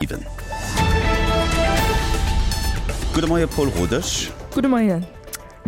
7. Gudde Moie Paul Rodesch. Gudde Moien.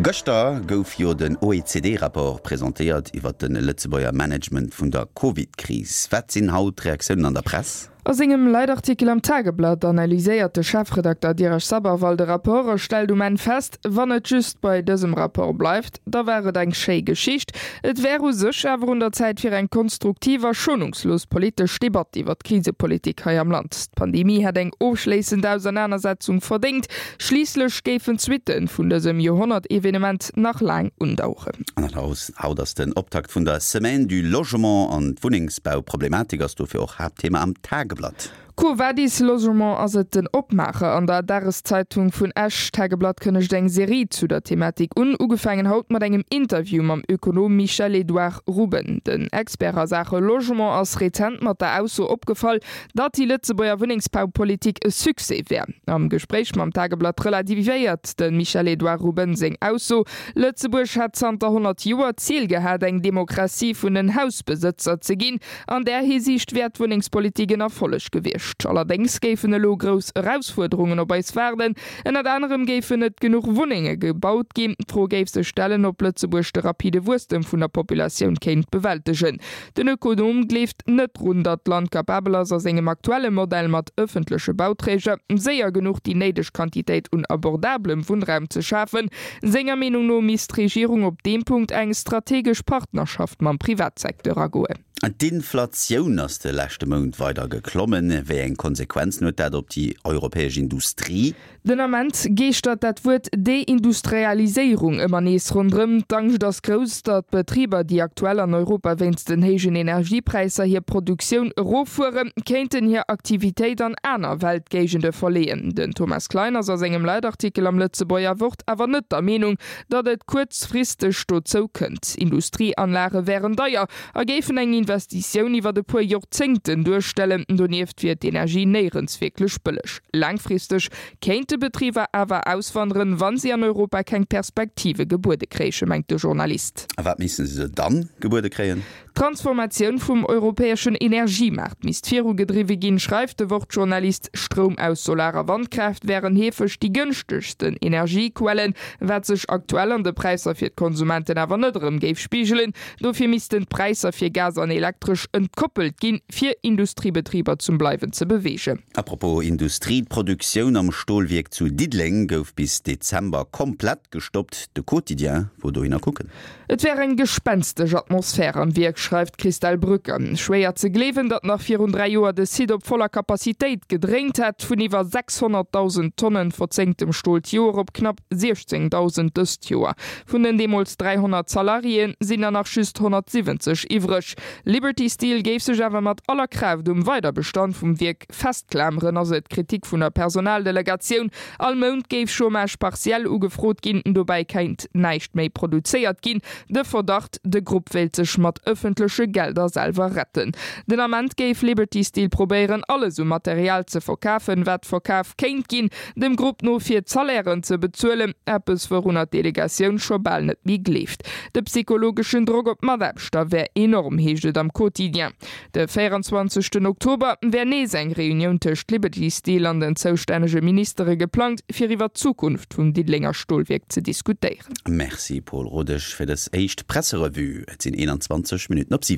Gëschter gouf jo den OECD-Rapport presentéiert iwwer de Lëtzebuerger Management vun der Covid-Kris. Wat sinn haut d'Reaktiounen an der Press? A sengem Leitartikel am Tageblatt analyséiert de Chefredakter Dheeraj Sabharwal de Rapport a stellt um Enn fest, Wann et just bei dësem Rapport bleift, da war et eng schéi Geschicht. Et wär u sech awer un der Zäit fir eng konstruktiv a schonungslos politesch Debatt iwwer d'Krisepolitik hei am Land. D'Pandemie hätt eng ofschléissend Ausernanersetzung verdéngt. Schliisslech géifen d'Suitte vun dësem Joerhonnert-Evenement nach laang undaueren. An haut ass den Optakt vun der Semaine du Logement an d'Wunnengsbauproblematik ass dofir och Haaptthema am Tageblatt. Quo vadis Logement ass et den Opmaacher an der Dageszeitung vun Esch. D'Tageblatt kënnegt eng Serie zu der Thematik un, ugefaangen haut mat engem Interview mam Ökonom Michel-Edouard Ruben. Den Expert a Saache Logement ass rezent mat der Ausso opgefall, datt déi Lëtzebuerger Wunnengsbaupolitik e Succès wär. Am Gespréich mam Tageblatt relativiéiert de Michel-Edouard Ruben seng Ausso, Lëtzebuerg hätt zanter 100 Joer d'Zil gehat, eng Demokratie vun den Hausbesëtzer ze ginn. An där Hisiicht wär d'Wunnengspolitik en Erfolleg gewiescht. Allerdéngs géifen elo grouss Erausfuerderungen op eis waarden. Ënnert anerem géifen net genuch Wunnenge gebaut ginn. D'Fro géif sech stellen, ob Lëtzebuerg de rapide Wuesstem vun der Populatioun kéint bewältegen. Den Ökonom gleeft net drun, datt d'Land capabel ass, a sengem aktuelle Modell mat ëffentleche Bauträger séier genuch déi néideg Quantitéit un abordabelem Wunnraum ze schafen. Senger Meenung no misst d'Regierung op deem Punkt eng strategesch Partnerschaft mam Privatsecteur agoen. D'Inflatioun ass de leschte Mount weider geklommen. Wéi eng Konsequenzen huet dat op déi europäesch Industrie? Den Ament geeschtert dat Wuert Deindustrialiséierung ëmmer nees ronderëm. D'Angscht ass grouss, datt d'Betriber, déi aktuell an Europa wéinst den héijen Energiepräisser hir Produktioun eroffueren, kéinten hir Aktivitéit an aner Weltgéigende verleeën. Den Thomas Klein ass a sengem Leitartikel am Lëtzebuerger Wort awer net der Meenung, datt et kuerzfristeg dozou kënnt. Industrieanlage wären deier a géifen eng Investitioun iwwer e puer Jorzéngten duerstellen. Donieft wier d'Energie néierens wierklech bëlleg. Laangfristeg kéinte Betriber awer auswanderen, wa si an Europa keng Perspektive gebuede kréichen, mengt de Journalist. A wat misste se dann gebuede kréien? D'Transformatioun vum europäeschen Energiemaart misst virugedriwwe ginn, schreift de Wort-Journalist. Stroum aus Solar a Wandkraaft wären heefeg déi gënschtegsten Energiequellen, wat sech aktuell an de Präisser fir d'Konsumenten awer net erëm géif spigelen. Dofir missten d'Präisser fir Gas an Elektresch entkoppelt ginn, fir Industriebetriber zum Bleiwen ze beweegen. A propos Industrie, D'Produktioun am Stolwierk zu Diddeleng gouf bis Dezember komplett gestoppt. De Quotidien wor dohinner kucken. Et wär eng gespenstesch Atmosphär am Wierk, schreift d'Christelle Brücker. Schwéier ze gleewen, datt nach virun 3 Joer de Site op voller Capacitéit gedréint hätt, vun iwwer 600.000 Tonnen verzénktem Stol d'Joer op knapp 16.000 dëst Joer. Vun den deemools 300 Salariéen sinn der nach just 170 iwwreg. Liberty Steel géif sech awer mat aller Kraaft um Weiderbestand vum Wierk festklameren, ass et d'Kritik vun der Personaldelegatioun. All Mount géif Chômage partiel ugefrot ginn, dobäi kéint näischt méi produzéiert ginn. De Verdacht, de Grupp wéilt sech mat ëffentleche Gelder selwer retten. Den Ament géif Liberty Steel probéieren, alles u Material ze verkafen, wat verkaf kéint ginn, dem Grupp no fir d'Salairen ze bezuelen, eppes wourunner d'Delegatioun scho bal net méi gleeft. De psychologeschen Drock op d'Mataarbechter wär enorm, heescht et am Quotidien. De 24 Oktober wär nees eng Reunioun tëscht Liberty Steel an den zoustännege Ministere geplangt, fir iwwer d'Zukunft vum Diddelenger Stolwierk ze diskutéieren. Merci Paul Rodesch fir dës éischt Presserevue. Et sinn 21 Minutten op 7.